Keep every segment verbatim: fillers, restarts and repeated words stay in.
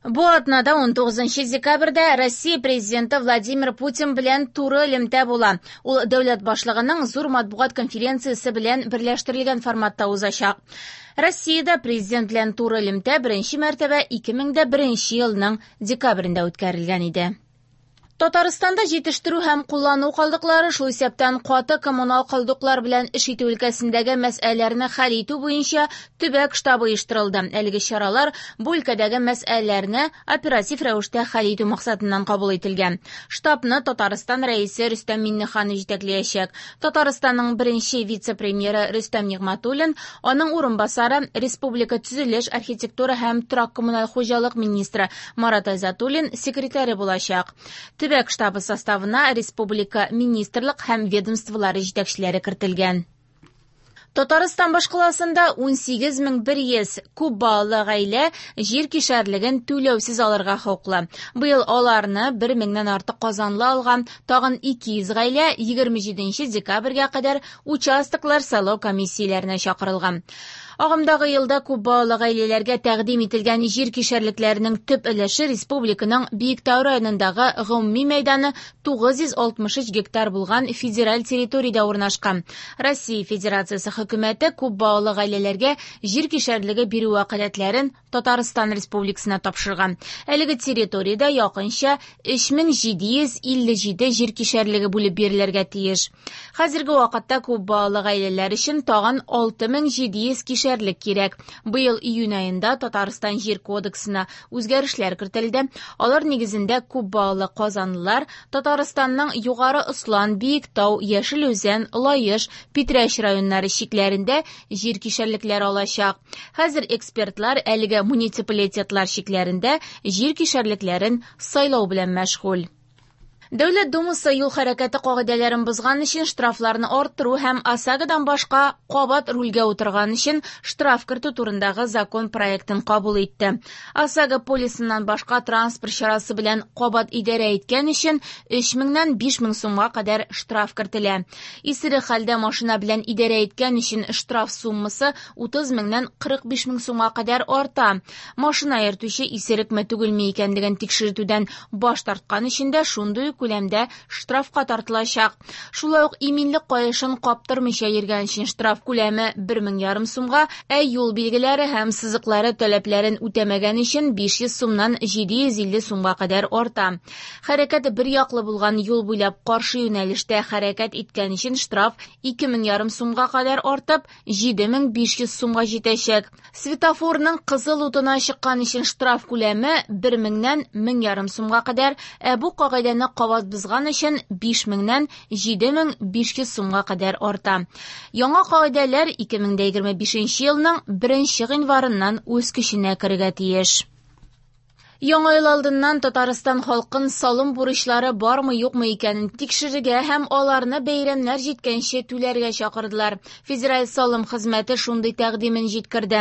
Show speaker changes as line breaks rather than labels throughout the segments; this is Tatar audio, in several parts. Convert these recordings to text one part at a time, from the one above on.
Бу атнада унтугызынчы декабрьдә Россия президенты Владимир Путин белән туры элемтә була. Ул дәүләт башлыгының зур матбугат конференциясе белән берләштерелгән форматта узачак. Россиядә президент белән туры элемтә беренче мәртәбә ике мең дә беренче елның декабрендә үткәрелгән иде. Татарстанда җитештерү һәм куллану калдыклары, шул исәптән каты коммунал калдыклар белән эш итү өлкәсендәге мәсьәләләрне хәл итү буенча төбәк штабы оештырылды. Әлеге чаралар бу өлкәдәге мәсьәләләрне оператив рәвештә хәл итү максатыннан кабул ителгән. Штабны Татарстан рәисе Рөстәм Миңнеханов җитәкләячәк. Татарстанның беренче вице-премьеры Рөстәм Нигъмәтуллин, аның урынбасары Республика төзелеш, архитектура һәм торак коммуналь хуҗалык министры Марат Айзатуллин секретаре булачак. Төбәк штабы составына республика министрлык һәм ведомстволары җитәкчеләре кертелгән. Татарстан башкаласында ун сигез мең бер йөз күп балалы гаилә җир кишәрлеген түләүсез алырга хокуклы. Быел аларны бер меңнән артык казанлы алган, тагын ике йөз гаилә егерме җиденче декабрьгә кадәр участоклар сайлау комиссияләренә чакырылган. Агымдагы елда күп балалы гаиләләргә тәкъдим ителгән җир кишәрлекләренең төп өлеше республиканың Биектау районындагы гомуми мәйданы тугыз йөз алтмыш өч гектар булган федераль территориядә урнашкан. Россия Федерациясе хөкүмәте күп балалы гаиләләргә җир кишәрлеге бирү вәкаләтләрен Татарстан Республикасына тапшырган. Әлеге территориядә якынча өч мең җиде йөз илле җиде җир кишәрлеге бүлеп бирелергә тиеш. Хәзерге вакытта күп балалы гаиләләр өчен тагын алты мең җиде йөз кишәрлек кирәк. Быел июнь аенда Татарстан Җир кодексына үзгәрешләр кертелде. Алар нигезендә күп балалы казанлылар Татарстанның Югары Ослан, Биектау, Яшел Үзән, Лаеш, Питрәч районнары чикләрендә җир кишәрлекләре алачак. Хәзер экспертлар әлеге муниципалитетлар чикләрендә җир кишәрлекләрен сайлау белән мәшгуль. Дәүләт Думасы юл хәрәкәте кагыйдәләрен бозган өчен штрафларны арттыру һәм ОСАГОдан башка кабат рульгә утырган өчен штраф кертү турындагы закон проектын кабул итте. ОСАГО полисыннан башка транспорт чарасы белән кабат идарә иткән өчен өч меңнән биш мең сумга кадәр штраф кертелә. Исерек хәлдә машина белән идарә иткән өчен штраф суммасы утыз меңнән кырык биш мең сумга кадәр арта. Машина йөртүче исерекме түгелме икәнлеген тикшертүдән баш тарткан өчен дә шундый ук күләмдә штрафка тартылачак. Шулай ук иминлек каешын каптырмыйча йөргән өчен штраф күләме бер мең ярым сумга, ә юл билгеләре һәм сызыклары таләпләрен үтәмәгән өчен биш йөз сумнан җиде йөз илле сумга кадәр арта. Хәрәкәт бер яклы булган юл буйлап каршы юнәлештә хәрәкәт иткән өчен штраф ике мең ярым сумга кадәр артып, җиде мең биш йөз сумга җитәчәк. Светофорның кызыл утына чыккан өчен штраф күләме бер меңнән мең ярым сумга кадәр, ә бу кагыйдәне кабат бозган өчен биш меңнән җиде мең биш йөз сумга кадәр арта. Яңа кагыйдәләр ике мең дә егерме бишенче елның беренче гыйнварыннан үз көченә керергә тиеш. Яңа ел алдыннан Татарстан халкын салым бурычлары бармы юкмы икәнен тикшерергә һәм аларны бәйрәмнәр җиткәнче түләргә чакырдылар. Федераль салым хезмәте шундый тәкъдимен җиткерде.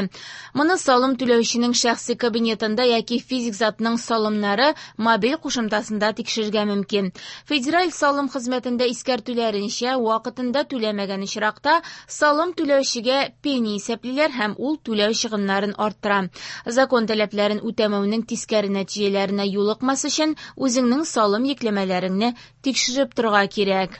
Моны салым түләүченең шәхси кабинетында яки физик затның салымнары мобиль кушымтасында тикшерергә мөмкин. Федераль салым хезмәтендә искәртүләренчә, вакытында түләмәгән очракта салым түләүчегә пени исәплиләр һәм ул түләү чыгымнарын арттыра. Закон таләпләрен үтәмәүнең тискәре нәтиҗәләренә юлыкмас өчен үзеңнең салым йөкләмәләреңне тикшереп торырга кирәк.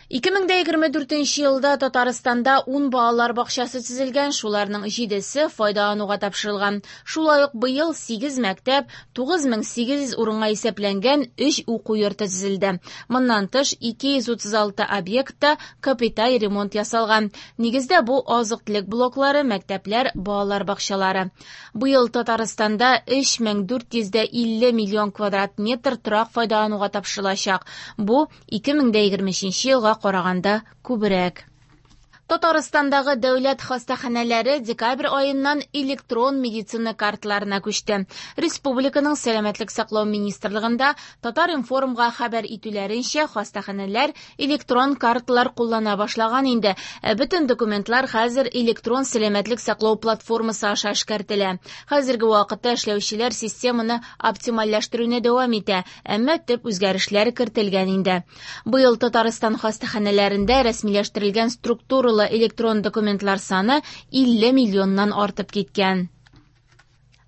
Ике мең дә егерме дүртенче елда Татарстанда ун балалар бакчасы төзелгән, шуларның җидесе файдалануга тапшырылган. Шулай ук быел сигез мәктәп, тугыз мең сигез йөз урынга исәпләнгән өч уку йорты төзелде. Моннан тыш ике йөз утыз алты объектта капиталь ремонт ясалган. Нигездә бу азык-төлек блоклары, мәктәпләр, балалар бакчалары. Быел Татарстанда өч мең дүрт йөз дә илле миллион квадрат метр торак файдалануга тапшырылачак. Бу ике мең дә егерме өченче елга караганда күбрәк. Татарстандагы дәүләт хастаханәләре декабрь аеннан электрон медицина картларына күчте. Республиканың Сәламәтлек саклау министрлыгында Татар-информга хәбәр итүләренчә, хастаханәләр электрон картлар куллана башлаган инде. Ә бөтен документлар хәзер электрон сәламәтлек саклау платформасы аша эшкәртелә. Хәзерге вакытта эшләүчеләр системаны оптимальләштерүне дәвам итә, әмма төп үзгәрешләр кертелгән инде. Быел Татарстан хастаханәләрендә рәсмиләштерелгән структуралы электрон документлар саны илле миллионнан артып киткән.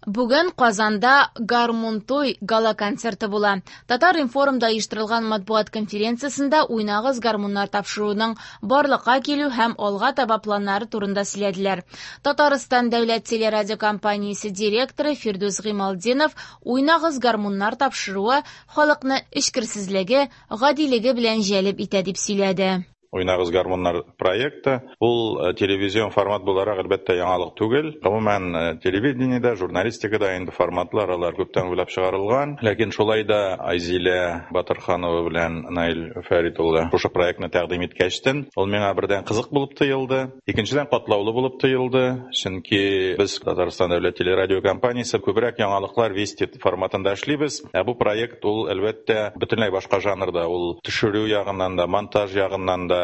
Бүген Казанда «Гармунтуй» гала-концерты була. Татар-информда оештырылган матбугат конференциясендә «Уйнагыз гармуннар» тапшыруының барлыкка килү һәм алга таба планнары турында сөйләделәр. Татарстан дәүләт телерадиокомпаниясе директоры Фирдүс Гыймалтдинов «Уйнагыз гармуннар» тапшыруы халыкны эчкерсезлеге, гадилеге белән җәлеп итә дип сөйләде.
«Уйнагыз гармуннар» проекты ул телевизион формат буларак әлбәттә яңалык түгел. Гомумән телевидениедә, журналистикада инде форматлар алар күптән уйлап чыгарылган. Ләкин шулай да Айзилә Батырханова белән Наил Фәрит улы шушы проектны тәкъдим иткәчтен, ул миңа бердән кызык булып тоелды, икенчедән катлаулы булып тоелды. Чөнки без Татарстан дәүләт телерадиокомпаниясе күбрәк яңалыклар Вести форматында эшлибез. Ә бу проект ул әлбәттә бөтенләй башка жанрда, ул төшерү ягыннан да, монтаж ягыннан да,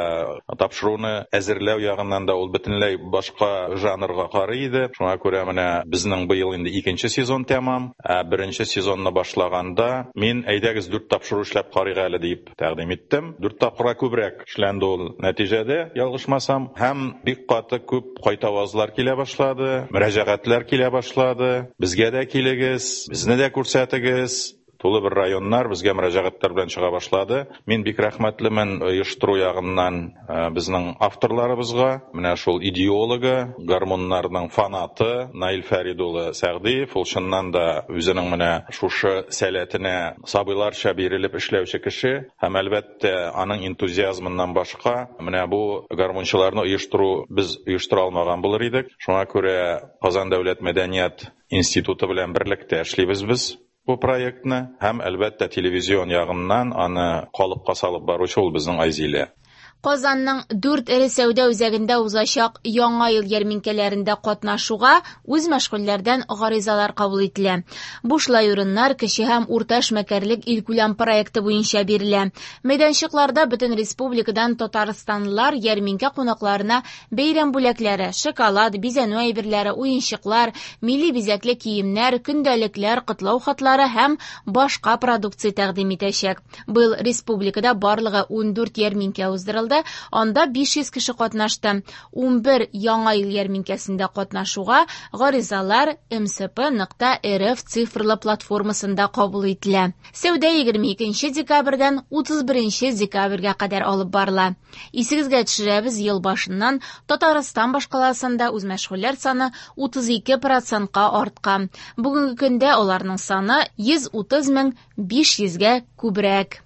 тапшыруны әзерләү ягыннан да ул бөтенләй башка жанрга карый иде. Шуңа күрә менә безнең быел инде икенче сезон тәмам. Ә беренче сезонны башлаганда мин әйдәгез дүрт тапшыру эшләп карыйк әле дип тәкъдим иттем. Дүрт тапкырга күбрәк эшләнде ул нәтиҗәдә, ялгышмасам, һәм бик каты күп кайтавазлар килә башлады, мөрәҗәгатьләр килә башлады. Безгә дә килегез, безне дә күрсәтегез. Тулы бер районнар безгә мөрәҗәгатьләр белән чыга башлады. Мин бик рәхмәтлемен оештыру ягыннан безнең авторларыбызга. Менә шул идеологы, гармуннарның фанаты Наил Фәрид улы Сәгъдиев, ул чыннан да үзенең менә шушы сәләтенә сабыйларча бирелеп эшләүче кеше һәм әлбәттә аның энтузиазмыннан башка менә бу гармунчыларны оештыру без оештыра алмаган булыр идек. Шуңа күрә Казан дәүләт мәдәният институты белән берлектә эшлибез без бу проектны һәм әлбәттә телевизион ягыннан аны калыпка салып баручы ул безнең Айзилә.
Казанның дүрт эре сәүдә үзәгендә узачак Яңа ел ярминкәләрендә катнашуга үзмәшгульләрдән гаризалар кабул ителә. Бушлай урыннар кече һәм урта эшмәкәрлек илкүләм проекты буенча бирелә. Мәйданчыкларда бөтен республикадан татарстанлылар ярминкә кунакларына бәйрәм бүләкләре, шоколад, бизәнү әйберләре, уенчыклар, милли бизәкле киемнәр, көндәлекләр, котлау хатлары һәм башка продукция тәкъдим итәчәк. Быел республикада барлыгы ундүрт ярминкә уздырылды. Анда биш йөз кеше катнашты. Унбер Яңа ел ярминкәсендә катнашуга гаризалар эм эс пэ нокта эр эф цифрлы платформасында кабул ителә. Сәүдә егерме икенче декабрьдән утыз беренче декабрьгә кадәр алып барыла. Исегезгә төшерәбез, ел башыннан Татарстан башкаласында үзмәшгульләр саны утыз ике процентка арткан. Бүгенге көндә аларның саны йөз утыз мең биш йөзгә күбрәк.